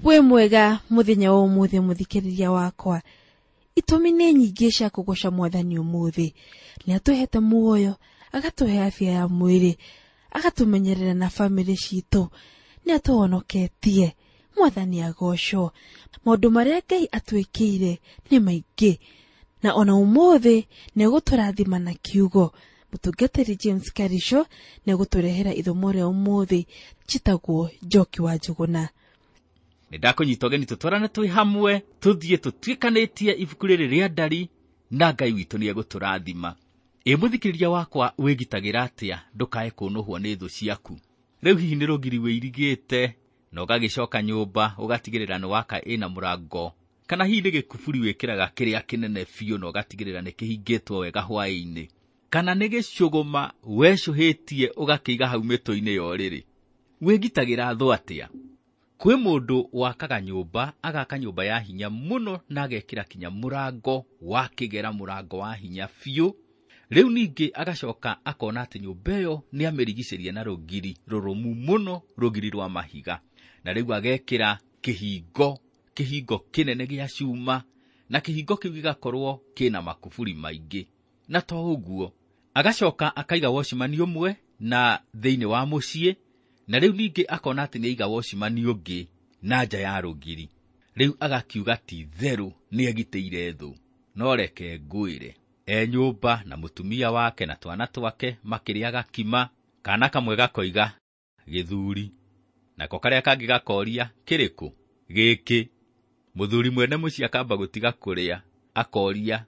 Wĩ mwega mũthenya wa ũmũthĩ mũthikĩrĩria wakwa. Itũmi nĩ nyingĩ cia kũgoca mwathani ũmũthĩ. Nĩ atũhete muoyo, agatũhe afya ya mwĩrĩ, agatũmenyerera na bamĩrĩ citũ, nĩ atũhonoketie. Mwathani agocwo. Maũndũ marĩa Ngai atwĩkĩire nĩ maingĩ, na ona ũmũthĩ nĩ egũtũrathima na kiugo. Mũtungatĩri James Karisho nĩ egũtũrehera ithomo rĩa ũmũthĩ. Njĩtagwo Njoki wa Njũgũna. Nĩ ndakũnyita ũgeni tũtwarane twĩ hamwe, tũthiĩ tũtuĩkanĩtie ibuku rĩrĩ rĩa Ndari, na Ngai witũ nĩ egũtũrathima. Ĩ mũthikĩrĩria wakwa, wĩgitagĩra atĩa ndũkae kũnũhwo nĩ thũ ciaku? Rĩu hihi nĩ rũgiri wĩirigĩte na ũgagĩcoka nyũmba ũgatigĩrĩra nĩ waka ĩna mũrango, kana hihi nĩ gĩkuburi wĩkĩraga kĩrĩa kĩnene biũ na ũgatigĩrĩra nĩ kĩhingĩtwo wega hwaĩ-inĩ, kana nĩ gĩcũgũma wecũhĩtie ũgakĩiga hau mĩtũ-inĩ ya ũrĩrĩ? Wĩgitagĩra thũ atĩa? Kwĩ mũndũ wakaga nyũmba, agaka nyũmba ya hinya mũno na agekĩra kinya mũrango wa kĩgera, mũrango wa hinya biũ. Rĩu ningĩ agacoka akona atĩ nyũmba ĩyo nĩ amĩrigicĩria na rũgiri rũrũmu mũno, rũgiri rwa mahiga. Na rĩu agekĩra kĩhingo, kĩhingo kĩnene gĩa cuma, na kĩhingo kĩu gĩgakorwo kĩna makuburi maingĩ. Na to ũguo, agacoka akaiga wocimani ũmwe na thĩinĩ wa mũciĩ, na rĩu ningĩ akona atĩ nĩaiga wocimani ũngĩ na nja ya rũgiri. Rĩu agakiuga ti therũ nĩegitĩire thũ. No reke ngwĩre, e nyũmba na mũtumia wake na twana twake makĩrĩaga kima, kana kamwe gakoiga gĩthuri, nako karĩa kangĩ gakoria kĩrĩkũ? Gĩkĩ. Mũthuri mwene mũciĩ akamba gũtiga kũrĩa, akoria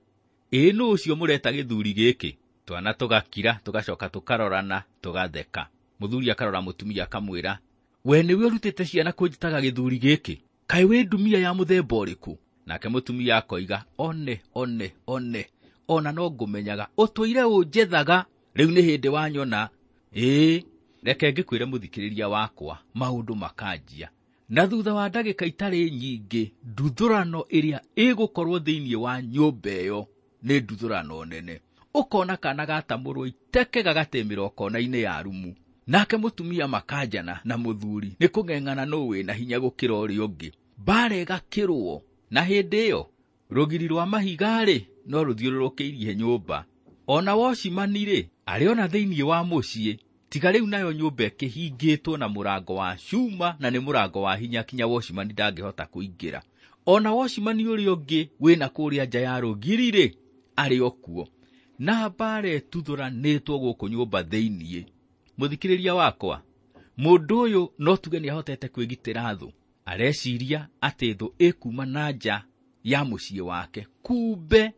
ĩ nũ ũcio mũreta gĩthuri gĩkĩ? Twana tũgakira, tũgacoka tũkarorana, tũgatheka. Mũthuri akarora mũtumia akamwĩra, we nĩwe ũrutĩte ciana kũnjĩtaga gĩthuri gĩkĩ? Kaĩ wĩ ndumia ya mũthemba ũrĩkũ? Nake mũtumia akoiga, one, one, one, ona no ngũmenyaga, ũtũire ũnjethaga, rĩu nĩ hĩndĩ wanyona. Ĩĩ, reke ngĩkwĩre mũthikĩrĩria wakwa, maũndũ makanjia. Na thutha wa ndagĩka itarĩ nyingĩ, nduthũrano ĩrĩa ĩgũkorwo thĩinĩ wa nyũmba ĩyo nĩ nduthũrano nene. Ũkona kana gatamũrwo iteke gagatemĩrwo kona-inĩ ya rumu. Nake mũtumia makanjana na mũthuri nĩ kũng'eng'ana nũ wĩna hinya gũkĩra ũrĩa ũngĩ. Mbara ĩgakĩrwo, na hĩndĩ ĩyo rũgiri rwa mahiga-rĩ no rũthiũrũrũkĩirie nyũmba. Ona wocimani-rĩ arĩ ona thĩinĩ wa mũciĩ, tiga rĩu nayo nyũmba ĩkĩhingĩtwo na mũrango wa cuma, na nĩ mũrango wa hinya kinya wocimani ndangĩhota kũingĩra. Ona wocimani ũrĩa ũngĩ wĩna kũrĩa nja ya rũgiri-rĩ arĩ o kuo. Na mbara ĩtuthũranĩtwo gũkũ nyũmba thĩinĩ. Mũthikĩrĩria wakwa, mũndũ ũyũ no tuge nĩahotete kwĩgitĩra thũ. Areciria atĩ thũ ĩkuma na nja ya mũciĩ wake, kumbe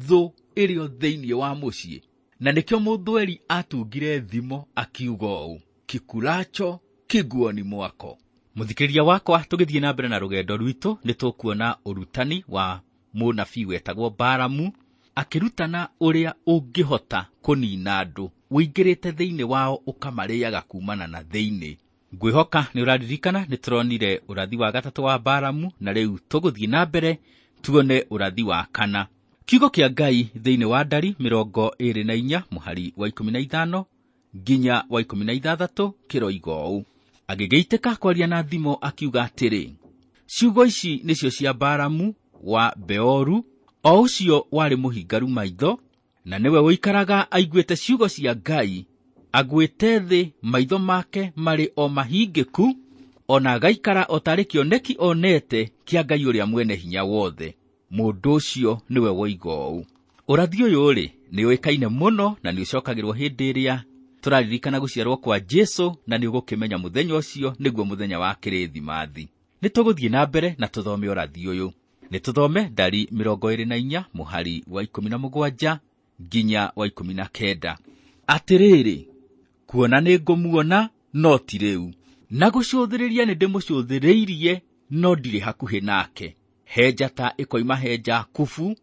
thũ ĩrĩ o thĩinĩ wa mũciĩ. Na nĩkĩo mũthweri atungire thimo akiuga ũũ, kikulacho kiguoni mwako. Mũthikĩrĩria wakwa, tũgĩthiĩ na mbere na rũgendo rwitũ nĩ tũkuona ũrutani wa mũnabii wetagwo Baramu akĩrutana ũrĩa ũngĩhota kũnina andũ ũingĩrĩte thĩinĩ wao ũkamarĩaga kumana na thĩinĩ. Ngwĩhoka nĩ ũraririkana nĩ tũronire ũrathi wa gatatũ wa Baramu, na rĩu tũgũthiĩ na mbere tuone ũrathi wa kana. Kiugo kĩa Ngai thĩinĩ wa Ndari 24 mũhari wa 15 nginya wa 16 kĩroiga ũũ. Agĩgĩitĩka kwaria na thimo akiuga atĩrĩ, ciugo ici nĩcio cia Baramu wa Beoru, o ũcio warĩ mũhingaru maitho, na nĩwe ũikaraga aiguĩte ciugo cia Ngai, agwĩte thĩ maitho make marĩ o mahingĩku, ona agaikara o tarĩ kĩoneki onete kĩa Ngai ũrĩa mwene hinya wothe. Mũndũ ũcio nĩwe woiga ũũ. Ũrathi ũyũ-rĩ nĩ ũĩkaine mũno na nĩ ũcokagĩrwo hĩndĩ ĩrĩa tũraririkana gũciarwo kwa Jesũ, na nĩ ũgũkĩmenya mũthenya ũcio nĩguo mũthenya wa Kĩrĩthimathi. Nĩ tũgũthiĩ na mbere na tũthome ũrathi ũyũ. Nĩ tũthome Ndari 24 mũhari wa 17 nginya wa 19. Atĩrĩrĩ, kuona nĩ ngũmuona no ti rĩu, na gũcũthĩrĩria nĩ ndĩmũcũthĩrĩirie no ndirĩ hakuhĩ nake. He njata ĩkoima he Jakubu,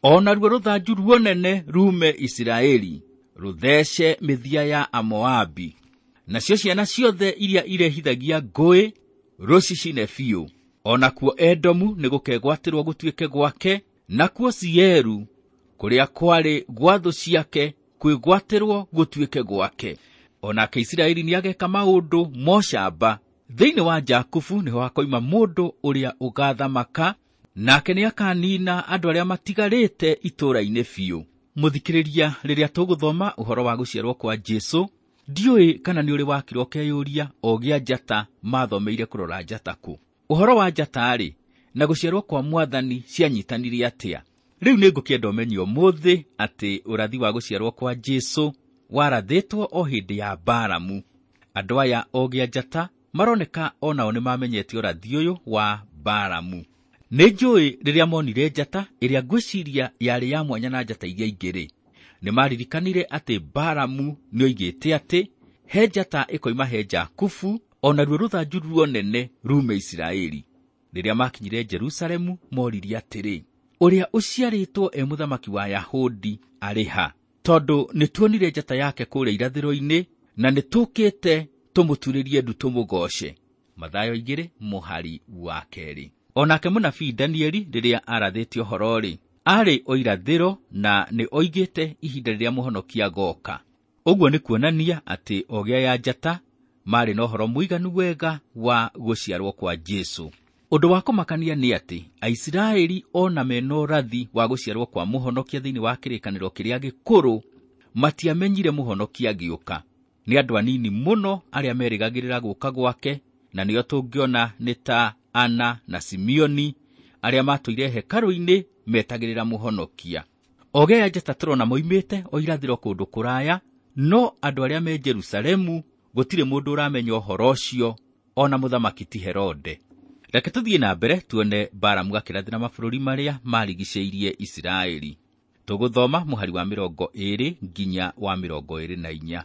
o naruo rũthanju ruonene rume Isiraeli, rũthece mĩthia ya Amoabi. Nacio ciana ciothe iria irehithagia ngũĩ rũcicine biũ. O nakuo Edomu nĩ gũkegwatĩrwo gũtuĩke gwake, nakuo Sieru kũrĩa kwarĩ gwa thũ ciake kwĩgwatĩrwo gũtuĩke gwake. O nake Isiraeli nĩageka maũndũ mocamba Thĩinĩ wa Jakubu nĩho hakoima mũndũ ũrĩa ũgaathamaka, nake nĩakanina andũ arĩa matigarĩte itũũra-inĩ biũ. Mũthikĩrĩria, rĩrĩa tũgũthoma ũhoro wa gũciarwo kwa Jesũ, ndiũĩ kana nĩ ũrĩ wakira ũkeyũria ogĩ a njata mathomeire kũrora njata kũ. Ũhoro wa njata-rĩ na gũciarwo kwa mwathani cianyitanire atĩa? Rĩu nĩ ngũkĩenda ũmenye ũmũthĩ atĩ ũrathi wa gũciarwo kwa Jesũ warathĩtwo o hĩndĩ ya Balamu. Andũ aya ogĩ a njata maroneka onao nĩ mamenyete ũrathi ũyũ wa Balamu. Nĩ njũĩ rĩrĩa monire njata ĩrĩa ngwĩciria yarĩ ya mwanya na njata iria ingĩ-rĩ, nĩ maririkanire atĩ Balamu nĩoigĩte atĩ he njata ĩkoima he Jakubu, o naruo rũthanju ruonene rume Isiraeli. Rĩrĩa makinyire Jerusalemu moririe atĩrĩ, ũrĩa ũciarĩtwo e mũthamaki wa Yahudi arĩ ha? Tondũ nĩtuonire njata yake kũrĩa irathĩro-inĩ, na nĩtũkĩte tũmũturĩrie ndu tũmũgooce. Mathayo 2 mũhari wa 2. Onake mũnabii Danieli rĩrĩa arathĩte ũhoro-rĩ, arĩ o irathĩro na nĩ oigĩte ihinda rĩrĩa mũhonokia agoka. Ũguo nĩ kuonania atĩ ogĩ aya njata marĩ na ũhoro mũiganu wega wa gũciarwo kwa Jesũ. Ũndũ wa kũmakania nĩ atĩ Aisiraeli ona mena ũrathi wa gũciarwo kwa mũhonokia thĩinĩ wa kĩrĩkanĩro kĩrĩa gĩkũrũ, matiamenyire mũhonokia agĩũka. Nĩ andũ anini mũno arĩa merĩgagĩrĩra gũka gwake, na nĩo tũngĩona nĩ ta Ana na Simeoni arĩa matũire hekarũ-inĩ metagĩrĩra mũhonokia. Ogĩ aya njata tũrona moimĩte o irathĩro kũndũ kũraya, no andũ arĩa me Jerusalemu gũtirĩ mũndũ ũramenya ũhoro ũcio, ona mũthamaki ti Herode. Reke tũthiĩ na mbere tuone Balamu akĩrathĩra mabũrũri marĩa marigicĩirie Isiraeli. Tũgũthoma mũhari wa 20 nginya wa 24.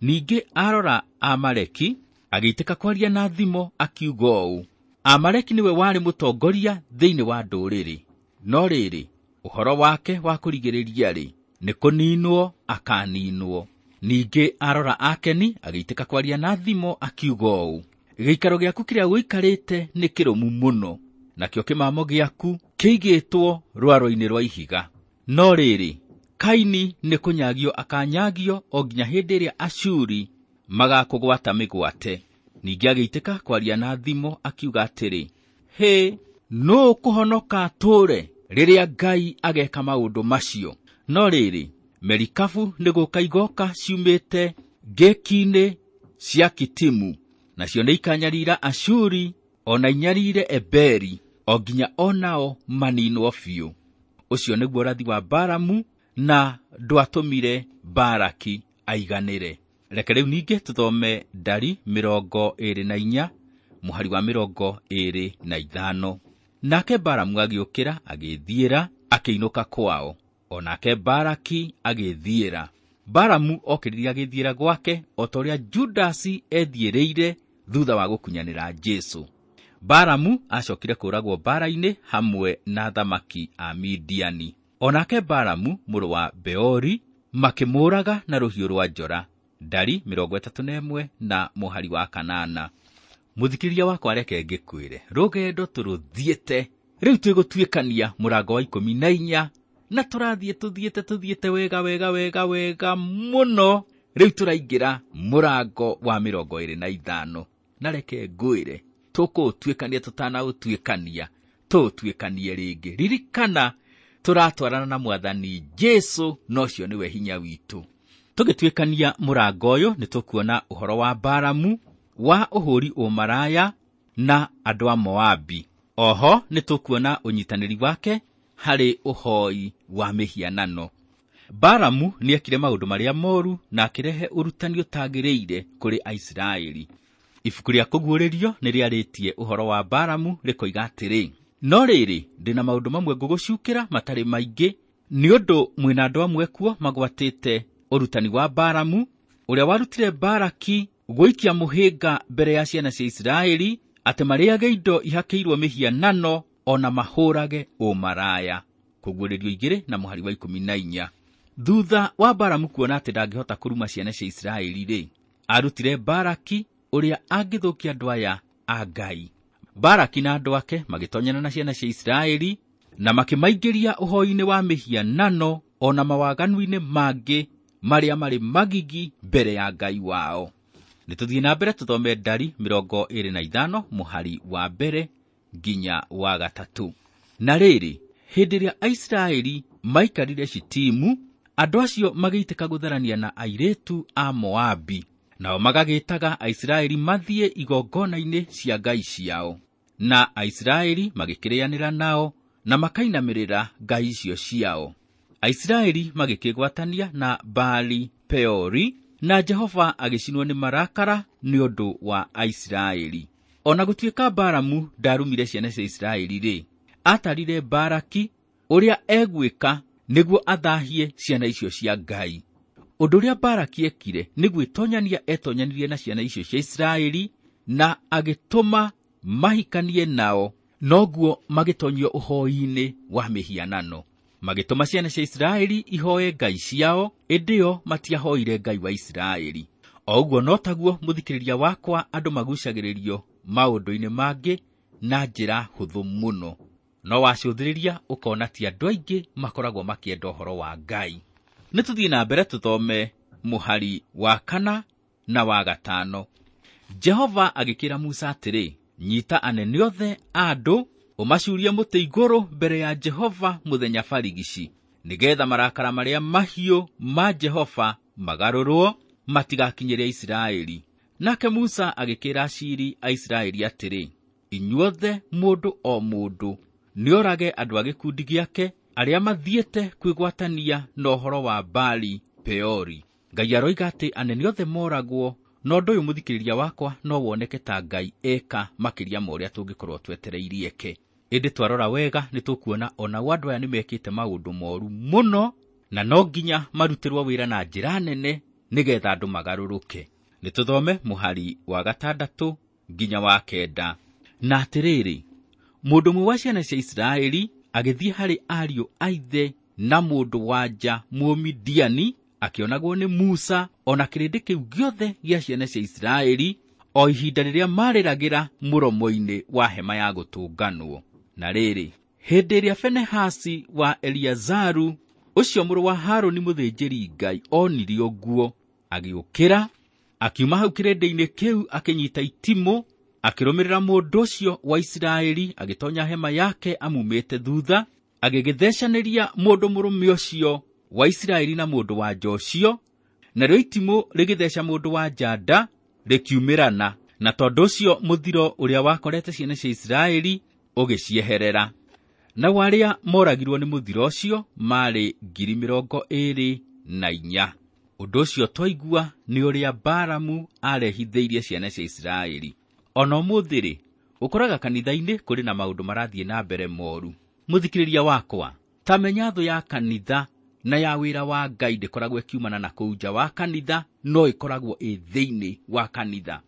Ningĩ arora Amaleki agĩitĩka kwaria na thimo akiuga ũũ: Amaleki nĩwe warĩ mũtongoria thĩinĩ wa ndũrĩrĩ, no rĩrĩ, ũhoro wake wa kũrigĩrĩria-rĩ, nĩ kũninwo akaninwo. Ningĩ arora Akeni agĩitĩka kwaria na thimo akiuga ũũ: gĩikaro gĩaku kĩrĩa ũikarĩte nĩ kĩrũmu mũno, nakĩo kĩmamo gĩaku kĩigĩtwo rwaro-inĩ rwa ihiga. No rĩrĩ, Kaini nĩ kũnyagio akanyagio o nginya hĩndĩ ĩrĩa Ashuri magakũgwata mĩgwate. Ningĩ agĩitĩka kwaria na thimo akiuga atĩrĩ, hĩ, nũũ kũhonoka atũũre rĩrĩa Ngai ageka maũndũ macio? No rĩrĩ, merikabu nĩ gũka igoka ciumĩte ngĩki-inĩ cia Kitimu, nacio nĩ ikanyarira Ashuri ona inyarire Eberi, o nginya onao maninwo biũ. Ũcio nĩguo ũrathi wa Balamu, na ndwatũmire Baraki aiganĩre. Reke rĩu ningĩ tũthome Ndari 24 mũhari wa 25. Nake Balamu agĩũkĩra agĩthiĩra akĩinũka kwao, onake Baraki agĩthiĩra. Balamu okĩrire agĩthiĩra gwake o ta ũrĩa Judasi ethiĩrĩire thutha wa gũkunyanĩra Jesũ. Balamu acokire kũũragwo mbaara-inĩ hamwe na athamaki a Midiani. Onake Balamu mũrũ wa Beori makĩmũũraga na rũhiũ rwa njora. Ndari 31 na mũhari wa 8. Mũthikĩrĩria wakwa, reke ngĩkwĩre, rũgendo tũrũthiĩte rĩu twĩgũtuĩkania mũrango wa 14, na tũrathiĩ tũthiĩte wega wega wega wega mũno. Rĩu tũraingĩra mũrango wa 25, na reke ngwĩre, tũkũũtuĩkania tũtanaũtuĩkania, tũũtuĩkanie rĩngĩ. Ririkana tũratwarana na mwathani Jesũ, na ũcio nĩwe hinya witũ. Tũgĩtuĩkania mũrango ũyũ nĩ tũkuona ũhoro wa Balamu, wa ũhũri ũmaraya na andũ a Moabi. Oho nĩ tũkuona ũnyitanĩri wake harĩ ũhoi wa mĩhianano. Balamu nĩekire maũndũ marĩa moru na akĩrehe ũrutani ũtagĩrĩire kũrĩ Aisiraeli. Ibuku rĩa Kũguũrĩrio nĩ rĩarĩtie ũhoro wa Balamu rĩkoiga atĩrĩ: no rĩrĩ, ndĩna maũndũ mamwe ngũgũcukĩra matarĩ maingĩ, nĩ ũndũ mwĩna andũ amwe kuo magwatĩte ũrutani wa Balamu, ũrĩa warutire Baraki gũikia mũhĩnga mbere ya ciana cia Isiraeli, atĩ marĩage indo ihakĩirwo mĩhianano ona mahũrage ũmaraya. Kũguũrĩrio 2 na mũhari wa 14. Thutha wa Balamu kuona atĩ ndangĩhota kũruma ciana cia Isiraeli-rĩ, arutire Baraki ũrĩa angĩthũkia andũ aya a Ngai. Baraki na andũ ake magĩtonyana na ciana cia Isiraeli na makĩmaingĩria ũhoi-inĩ wa mĩhianano ona mawaganu-inĩ mangĩ marĩa marĩ magigi mbere ya Ngai wao. Nĩ tũthiĩ na mbere tũthome Ndari 25 mũhari wa 1 nginya wa 3. Na rĩrĩ, hĩndĩ ĩrĩa Aisiraeli maikarire Shitimu, andũ acio magĩitĩka gũtharania na airĩtu a Moabi, nao magagĩtaga Aisiraeli mathiĩ igongona-inĩ cia ngai ciao. Na Aisiraeli magĩkĩrĩanĩra nao na makainamĩrĩra ngai icio ciao. Aisiraeli magĩkĩgwatania na Baali Peori, na Jehova agĩcinwo nĩ marakara nĩ ũndũ wa Aisiraeli. Ona gũtuĩka Balamu ndarumire ciana cia Isiraeli rĩ, atarire Baraki ũrĩa egwĩka nĩguo athahie ciana icio cia Ngai. Ũndũ ũrĩa Baraki ekire nĩ gwĩtonyania etonyanirie na ciana icio cia Isiraeli na agĩtũma mahikanie nao, noguo magĩtonyio ũhoi-inĩ wa mĩhianano. Magĩtũma ciana cia Isiraeli ihoe ngai ciao, ĩndĩ o matiahoire Ngai wa Isiraeli. O ũguo no taguo mũthikĩrĩria wakwa andũ magucagĩrĩrio maũndũ-inĩ mangĩ na njĩra hũthũ mũno. No wacũthĩrĩria ũkona ti andũ aingĩ makoragwo makĩenda ũhoro wa Ngai. Nĩ tũthiĩ na mbere tũthome mũhari wa 4 na wa 5. Jehova agĩkĩra Musa atĩrĩ, nyita anene othe a andũ ũmacurie mũtĩ igũrũ mbere ya Jehova mũthenya barigici, nĩgetha marakara marĩa mahiũ ma Jehova magarũrwo matigakinyĩre Isiraeli. Nake Musa agĩkĩra aciri a Isiraeli atĩrĩ, inyuothe mũndũ o mũndũ nĩorage andũ a gĩkundi gĩake arĩa mathiĩte kwĩgwatania na ũhoro wa Baali Peori. Ngai aroiga atĩ anene othe moragwo, na ũndũ ũyũ mũthikĩrĩria wakwa no woneke ta Ngai eka makĩria ma ũrĩa tũngĩkorwo twetereirie eke. Ĩndĩ twarora wega nĩ tũkuona onao andũ aya nĩmekĩte maũndũ moru mũno, na no nginya marutĩrwo wĩra na njĩra nene nĩgetha andũ magarũrũke. Nĩ tũthome mũhari wa 6 nginya wa 9. Na atĩrĩrĩ, mũndũ ũmwe wa ciana cia Isiraeli agĩthiĩ harĩ ariũ a ithe na mũndũ wa nja Mũmidiani, akĩonagwo nĩ Musa ona kĩrĩndĩ kĩu gĩothe gĩa ciana cia Isiraeli o ihinda rĩrĩa marĩragĩra mũromo-inĩ wa hema ya gũtũnganwo. Na rĩrĩ, hĩndĩ ĩrĩa Fenehasi wa Eliazaru ũcio mũrũ wa Harũni mũthĩnjĩri Ngai onire ũguo, agĩũkĩra akiuma hau kĩrĩndĩ-inĩ kĩu, akĩnyita itimũ, akĩrũmĩrĩra mũndũ ũcio wa Isiraeli, agĩtonya hema yake amumĩte thutha, agĩgĩthecanĩria mũndũ mũrũme ũcio wa Isiraeli na mũndũ wa nja ũcio, narĩo itimũ rĩgĩtheca mũndũ wa nja nda rĩkiumĩrana, na tondũ ũcio mũthiro ũrĩa wakorete ciana cia Isiraeli ũgĩcieherera. Nao arĩa moragirwo nĩ mũthiro ũcio maarĩ 24,000. Ũndũ ũcio twaigua nĩ ũrĩa Balamu arehithĩirie ciana cia Isiraeli. Ona ũmũthĩ rĩ, ũkoraga kanitha-inĩ kũrĩ na maũndũ marathiĩ na mbere moru. Mũthikĩrĩria wakwa, ta menya thũ ya kanitha na ya wĩra wa Ngai ndĩkoragwo ĩkiumana na kũu nja wa kanitha, no ĩkoragwo ĩ thĩinĩ wa kanitha.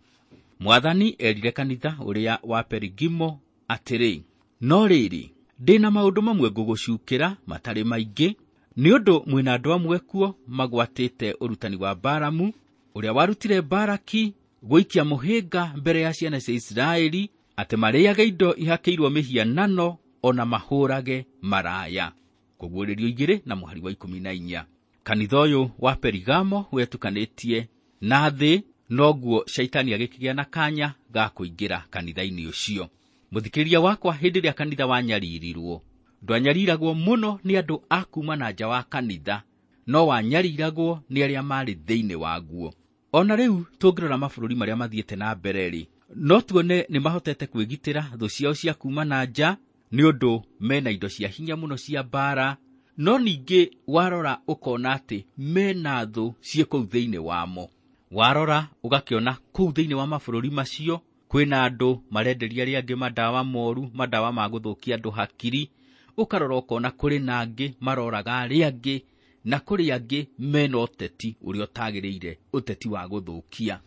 Mwathani erire kanitha ũrĩa wa Perigimo atĩrĩ, no rĩrĩ, ndĩna maũndũ mamwe ngũgũcukĩra matarĩ maingĩ, nĩ ũndũ mwĩna andũ amwe kuo magwatĩte ũrutani wa Balamu ũrĩa warutire Baraki gũikia mũhĩnga mbere ya ciana cia Isiraeli atĩ marĩage indo ihakĩirwo mĩhianano ona mahũrage maraya. Kũguũrĩrio 2 na mũhari wa 14. Kanitha ũyũ wa Perigamo wetukanĩtie na thĩ, noguo Shaitani agĩkĩgĩa na kanya ga kũingĩra kanitha-inĩ ũcio. Mũthikĩrĩria wakwa, hĩndĩ ĩrĩa kanitha wanyaririrwo, ndwanyariragwo mũno nĩ andũ a kuma na nja wa kanitha, no wanyariragwo nĩ arĩa marĩ thĩinĩ waguo. Ona rĩu tũngĩrora mabũrũri marĩa mathiĩte na mbere rĩ, no tuone nĩ mahotete kwĩgitĩra thũ ciao cia kuma na nja nĩ ũndũ mena indo cia hinya mũno cia mbara, no ningĩ warora ũkona atĩ mena thũ ciĩ kũu thĩinĩ wamo. Warora ũgakĩona kũu thĩinĩ wa mabũrũri macio kwĩna andũ marenderia arĩa angĩ madawa moru, madawa ma gũthũkia andũ hakiri. Ũkarora ũkona kũrĩ na angĩ maroraga arĩa angĩ, na kũrĩ angĩ mena ũteti ũrĩa ũtagĩrĩire, ũteti wa gũthũkia.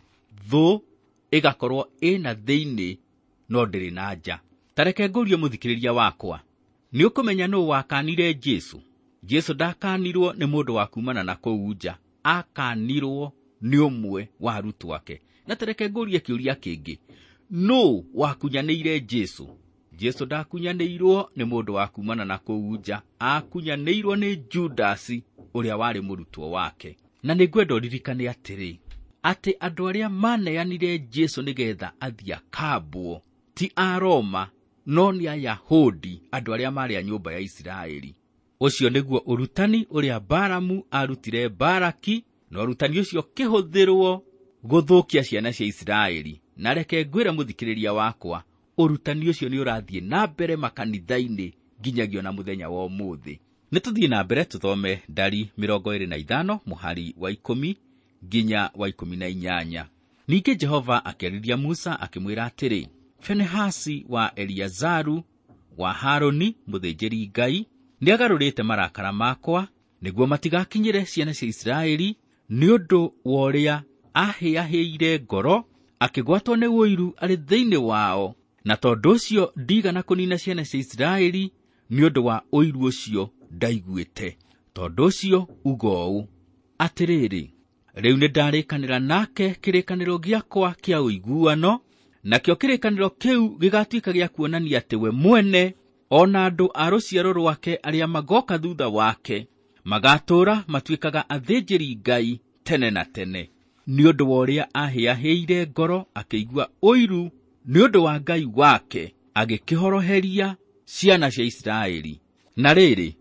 Thũ ĩgakorwo ĩna thĩinĩ no ndĩrĩ na nja. Ta reke ngũrie mũthikĩrĩria wakwa, nĩ ũkũmenya nũũ wakanire Jesũ? Jesũ ndakanirwo nĩ mũndũ wa kumana na kũu nja, akanirwo nĩ ũmwe wa arutwo ake. Na ta reke ngũrie kĩũria kĩngĩ, nũũ wakunyanĩire Jesũ? Jesũ ndakunyanĩirwo nĩ mũndũ wa kumana na kũu nja, akunyanĩirwo nĩ Judasi ũrĩa warĩ mũrutwo wake. Na nĩ ngwenda ũririkane atĩrĩ, Atĩ andũ arĩa maneanire Jesũ nĩgetha athiĩ akambwo ti a Roma no nĩ Ayahudi, andũ arĩa maarĩ a nyũmba ya Isiraeli. Ũcio nĩguo ũrutani ũrĩa Balamu arutire Balaki, na ũrutani ũcio ũkĩhũthĩrwo gũthũkia ciana cia Isiraeli. Na reke ngwĩre mũthikĩrĩria wakwa, ũrutani ũcio nĩ ũrathiĩ na mbere makanitha-inĩ nginyagia ona mũthenya wa ũmũthĩ. Nĩ tũthiĩ na mbere tũthome Ndari 25 mũhari wa 10 nginya wa 18. Ningĩ Jehova akĩarĩria Musa akĩmwĩra atĩrĩ, Fenehasi wa Eliazaru wa Harũni mũthĩnjĩri Ngai nĩagarũrĩte marakara makwa nĩguo matigakinyĩre ciana cia Isiraeli nĩ ũndũ wa ũrĩa ahĩahĩire ngoro akĩgwatwo nĩ ũiru arĩ thĩinĩ wao, na tondũ ũcio ndigana kũnina ciana cia Isiraeli nĩ ũndũ wa ũiru ũcio ndaiguĩte. Tondũ ũcio uga ũũ, atĩrĩrĩ, rĩu nĩndarĩkanĩra nake kĩrĩkanĩro gĩakwa kĩa ũiguano, nakĩo kĩrĩkanĩro kĩu gĩgatuĩka gĩa kuonania atĩ we mwene ona andũ a rũciaro rwake arĩa magoka thutha wake magatũũra matuĩkaga athĩnjĩri Ngai tene na tene. Nĩ ũndũ wa ũrĩa ahĩahĩire ngoro akĩigua ũiru nĩ ũndũ wa Ngai wake, agĩkĩhoroheria ciana cia Isiraeli. Na rĩrĩ,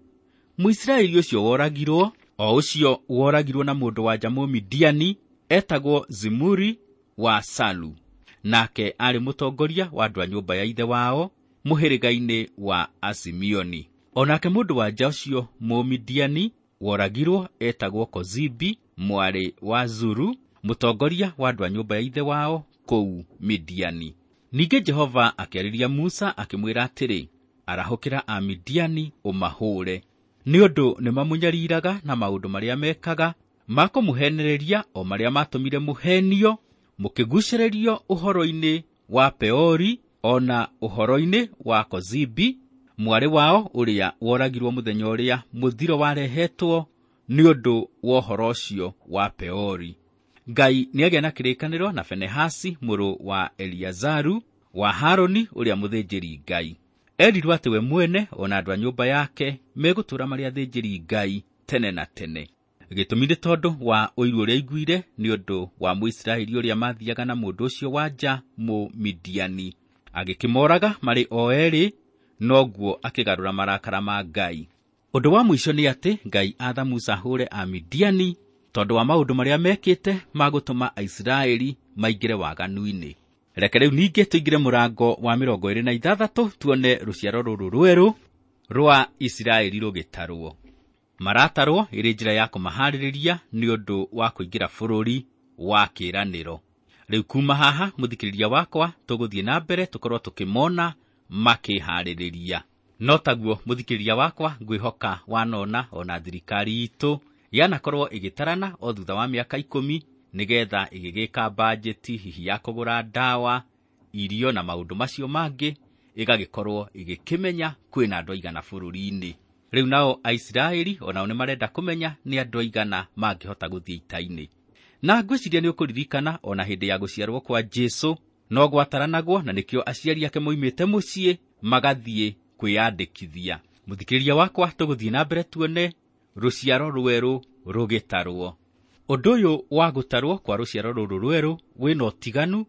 Mũisiraeli ũcio woragirwo, o ũcio woragirwo na mũndũ wa nja Mũmidiani, etagwo Zimuri wa Salu. Nake aarĩ mũtongoria wa andũ a nyũmba ya ithe wao mũhĩrĩga-inĩ wa Asimioni. O nake mũndũ wa nja ũcio Mũmidiani woragirwo etagwo Kozibi mwarĩ wa Zuru, mũtongoria wa andũ a nyũmba ya ithe wao kũu Midiani. Ningĩ Jehova akĩarĩria Musa akĩmwĩra atĩrĩ, arahũkĩra Amidiani ũmahũre, nĩ ũndũ nĩmamũnyariraga na maũndũ marĩa mekaga ma kũmũhenereria, o marĩa matũmire mũhenio mũkĩgucĩrĩrio ũhoro-inĩ wa Peori ona ũhoro-inĩ wa Kozibi mwarĩ wao ũrĩa woragirwo mũthenya ũrĩa mũthiro warehetwo nĩ ũndũ wa ũhoro ũcio wa Peori. Ngai nĩagĩa na kĩrĩkanĩro na Fenehasi mũrũ wa Eliazaru wa Harũni ũrĩa mũthĩnjĩri Ngai. Erirwo atĩ we mwene ona andũ a nyũmba yake megũtũũra marĩ athĩnjĩri Ngai tene na tene. Gĩtũmi nĩ tondũ wa ũiru ũrĩa aiguire nĩ ũndũ wa Mũisiraeli ũrĩa mathiaga na mũndũ ũcio wa nja Mũmidiani. Agĩkĩmoraga marĩ o erĩ, noguo akĩgarũra marakara ma Ngai. Ũndũ wa mũico nĩ atĩ Ngai aatha Musa ahũre Amidiani tondũ wa maũndũ marĩa mekĩte ma gũtũma Aisiraeli maingĩre waganu-inĩ. Reke rĩu ningĩ tũingĩre mũrango wa 26 tuone rũciaro rũrũ rwerũ rwa Isiraeli rũgĩtarwo. Maratarwo ĩrĩ njĩra ya kũmaharĩrĩria nĩ ũndũ wa kũingĩra bũrũri wa kĩĩranĩro. Rĩu kuma haha mũthikĩrĩria wakwa tũgũthiĩ na mbere tũkorwo tũkĩmona makĩharĩrĩria. No taguo mũthikĩrĩria wakwa ngwĩhoka wanona ona thirikari itũ yanakorwo ĩgĩtarana o thutha wa mĩaka 10 nĩgetha ĩgĩgĩka bajeti hihi ya kũgũra ndawa, irio na maũndũ macio mangĩ, ĩgagĩkorwo ĩgĩkĩmenya kwĩna andũ aigana bũrũri-inĩ. Rĩu nao Aisiraeli onao nĩmarenda kũmenya nĩ andũ aigana mangĩhota gũthiĩ ita-inĩ. Na ngwĩciria nĩ ũkũririkana ona hĩndĩ ya gũciarwo kwa Jesũ no gwataranagwo, na nĩkĩo aciari ake moimĩte mũciĩ magathiĩ kwĩyandĩkithia. Mũthikĩrĩria wakwa, tũgũthiĩ na mbere tuone rũciaro rwerũ rũgĩtarwo. Ũndũ ũyũ wa gũtarwo kwa rũciaro rũrũ rwerũ wĩna ũtiganu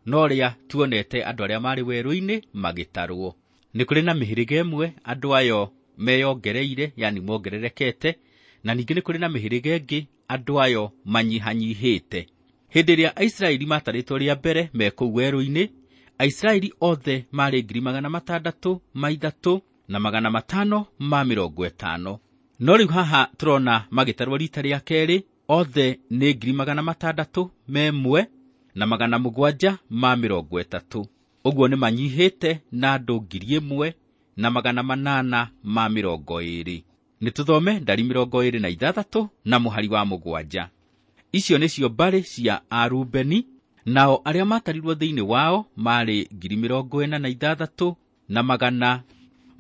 na ũrĩa tuonete andũ arĩa marĩ werũ-inĩ magĩtarwo. Nĩ kũrĩ na mĩhĩrĩga ĩmwe andũ ayo meyongereire, yani mongererekete, na ningĩ nĩ kũrĩ na mĩhĩrĩga ĩngĩ andũ ayo manyihanyihĩte. Hĩndĩ ĩrĩa Aisiraeli matarĩtwo rĩa mbere me kũu werũ-inĩ, Aisiraeli othe marĩ 603 na 550. No rĩu haha tũrona magĩtarwo rita rĩa kerĩ, othe nĩ 601 na 730. Ũguo nĩ manyihĩte na andũ 1820. Nĩ tũthome Ndari 26 na mũhari wa 7. Icio nĩcio mbarĩ cia Arubeni, nao arĩa matarirwo thĩinĩ wao marĩ 46 na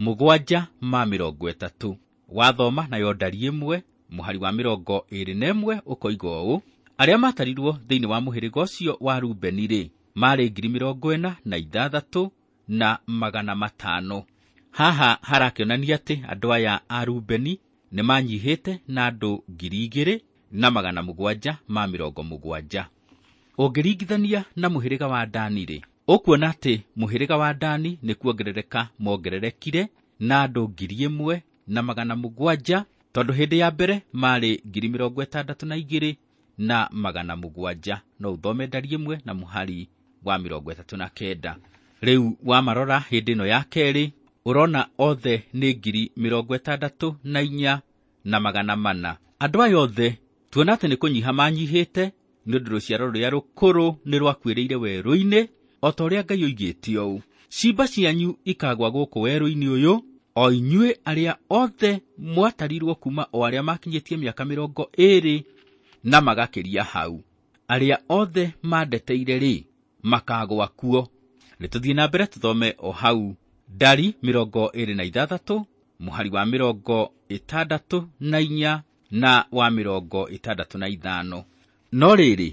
730. Wathoma nayo Ndari 1 mũhari wa 21 ũkoiga ũũ, arĩa matarirwo thĩinĩ wa mũhĩrĩga ũcio wa Rubeni rĩ marĩ 46 na 500. Haha harakĩonania atĩ andũ aya a Rubeni nĩ manyihĩte na andũ 2770. Ũngĩringithania na mũhĩrĩga wa Dani-rĩ, ũkuona atĩ mũhĩrĩga wa Dani nĩ kuongerereka mongererekire na andũ 1,700, tondũ hĩndĩ ya mbere marĩ 62,700. No ũthome Ndari 1 na mũhari wa 39. Rĩu wamarora hĩndĩ ĩno ya kerĩ, ũrona othe nĩ 64,400. Andũ aya othe tuona atĩ nĩ kũnyiha manyihĩte, nĩ ũndũ rũciaro rũrĩa rũkũrũ nĩ rwakuĩrĩire werũ-inĩ, o ta ũrĩa Ngai oigĩte ũũ: ciimba cianyu ikagwa gũkũ werũ-inĩ ũyũ, o inyuĩ arĩa othe mwatarirwo kuma o arĩa makinyĩtie mĩaka 20 na magakĩria hau. Arĩa othe mandeteire-rĩ, makagwa kuo. Nĩ tũthiĩ na mbere tũthome o hau Ndari 26 mũhari wa 64 na wa 65. No rĩrĩ,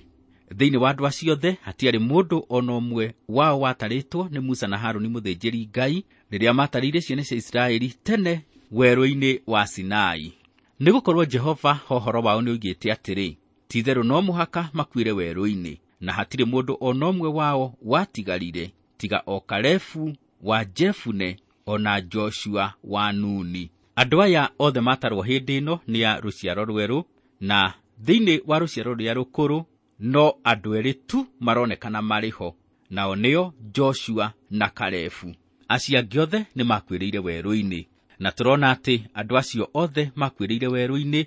thĩinĩ wa andũ acio othe hatiarĩ mũndũ o na ũmwe wao watarĩtwo nĩ Musa na Harũni mũthĩnjĩri Ngai rĩrĩa maatarĩire ciana cia Isiraeli tene werũ-inĩ wa Sinai. Nĩgũkorwo Jehova ũhoro wao nĩoigĩte atĩrĩ, ti-itherũ no mũhaka makuĩre werũ-inĩ, na hatirĩ mũndũ o na ũmwe wao watigarire tiga o Kalebu wa Jefune o na Joshua wa Nuni. Andũ aya othe maatarwo hĩndĩ ĩno nĩ a rũciaro rwerũ, na thĩinĩ wa rũciaro rũrĩa rũkũrũ no andũ erĩ tu maronekana marĩ ho, nao nĩo Joshua na Kalebu. Acio angĩ othe nĩ makuĩrĩire werũ-inĩ, na tũrona atĩ andũ acio othe makuĩrĩire werũ-inĩ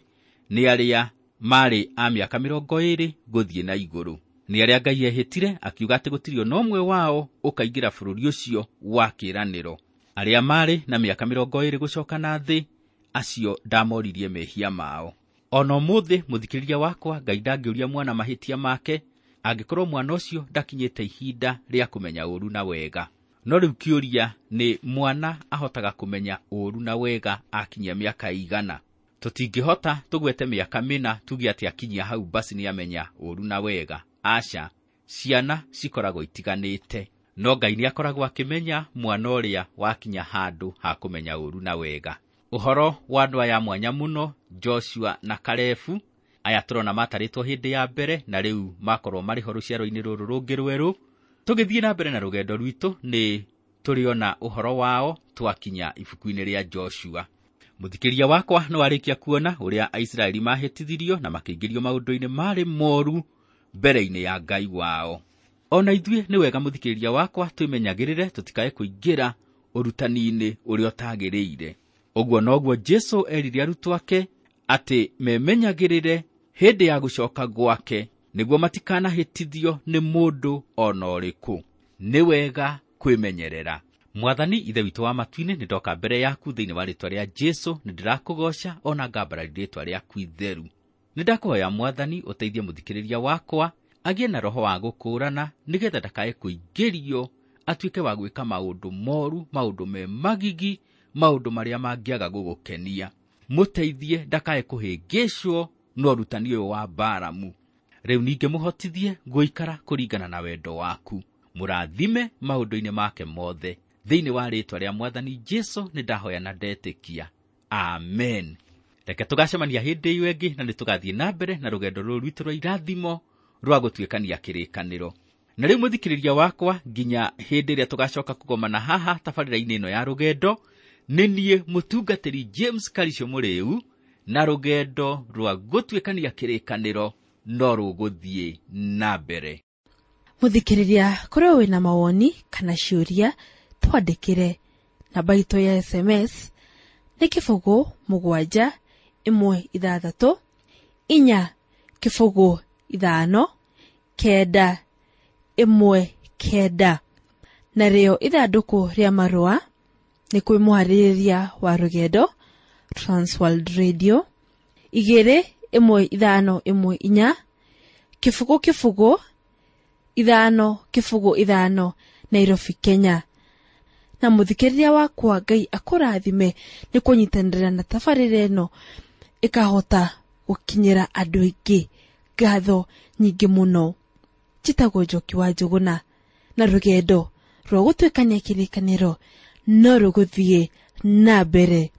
nĩ arĩa marĩ a mĩaka 20 gũthiĩ na igũrũ. Nĩ arĩa Ngai ehĩtire akiuga atĩ gũtirĩ o na ũmwe wao ũkaingĩra bũrũri ũcio wa kĩĩranĩro. Arĩa marĩ na mĩaka 20 gũcoka na thĩ, acio ndamoririe mehia mao. O na ũmũthĩ mũthikĩrĩria wakwa, Ngai ndangĩũria mwana mahĩtia make angĩkorwo mwana ũcio ndakinyĩte ihinda rĩa kũmenya ũũru na wega. No rĩu kĩũria nĩ mwana ahotaga kũmenya ũũru na wega akinyia mĩaka igana? Tũtingĩhota tũgwete mĩaka 4 tuge atĩ akinyia hau basi nĩamenya ũũru na wega. Aca, ciana cikoragwo itiganĩte, no Ngai nĩakoragwo akĩmenya mwana ũrĩa wakinya handũ ha kũmenya ũũru na wega. Ũhoro wa andũ aya mwanya mũno, Joshua na Kalebu, aya tũrona matarĩtwo hĩndĩ ya mbere na rĩu makorwo marĩ ho rũciaro-inĩ rũrũ rũngĩ rwerũ. Tũgĩthiĩ na mbere na rũgendo rwitũ nĩ tũrĩona ũhoro wao twakinya ibuku-inĩ rĩa Joshua. Mũthikĩria wakwa nĩ warĩkia kuona ũrĩa Aisiraeli mahĩtithirio na makĩingĩrio maũndũ-inĩ marĩ moru mbere-inĩ ya Ngai wao. O na ithuĩ nĩ wega mũthikĩrĩria wakwa twĩmenyagĩrĩre tũtikae kũingĩra ũrutani-inĩ ũrĩa ũtagĩrĩire. Ũguo noguo Jesũ erire arutwo ake atĩ memenyagĩrĩre hĩndĩ ya gũcoka gwake nĩguo matikanahĩtithio nĩ mũndũ o na ũrĩkũ. Nĩ wega kwĩmenyerera. Mwathani Ithe witũ wa matu-inĩ, nĩ ndoka mbere yaku thĩinĩ wa rĩĩtwa rĩa Jesũ, nĩ ndĩrakũgooca o na ngambararia rĩĩtwa rĩaku itheru. Nĩ ndakũhoya Mwathani ũteithie mũthikĩrĩria wakwa agĩe na roho wa gũkũũrana, nĩgetha ndakae kũingĩrio atuĩke wa gwĩka maũndũ moru, maũndũ me magigi, maũndũ marĩa mangĩaga gũgũkenia. Mũteithie ndakae kũhĩngĩcwo no ũrutani ũyũ wa Balamu. Rĩu ningĩ mũhotithie gũikara kũringana na wendo waku. Mũrathime maũndũ-inĩ make mothe. Thĩinĩ wa rĩĩtwa rĩa Mwathani Jesũ nĩ ndahoya na ndetĩkia. Amen. Reke tũgacemania hĩndĩ ĩyo ĩngĩ na nĩ tũgathiĩ na mbere na rũgendo rũrũ rwitũ rwa irathimo rwa gũtuĩkania kĩrĩkanĩro. Na rĩu mũthikĩrĩria wakwa, nginya hĩndĩ ĩrĩa tũgacoka kũgomana haha tabarĩra-inĩ ĩno ya rũgendo, nĩ niĩ mũtungatĩri James Karisho Mũrĩu, na rũgendo rwa gũtuĩkania kĩrĩkanĩro no rũgũthiĩ na mbere. Mũthikĩrĩria, korwo wĩna mawoni kana ciũria, twandĩkĩre. Namba itũ ya SMS nĩ 0 7 1 6 4 0 5 9 1 9. Narĩo ithandũkũ rĩa marũa nĩ kwĩ mũharĩrĩria wa rũgendo Transworld Radio 2 1 5 1 4 0 0 5 0 5 Nairobi, Kenya. Na mũthikĩrĩria wakwa, Ngai akũrathime nĩ kũnyitanĩra na tabarĩra ĩno ĩkahota gũkinyĩra andũ aingĩ. Ngatho nyingĩ mũno. Njĩtagwo Njoki wa Njũgũna, na rũgendo rwa gũtuĩkania kĩrĩkanĩro no rũgũthiĩ na mbere.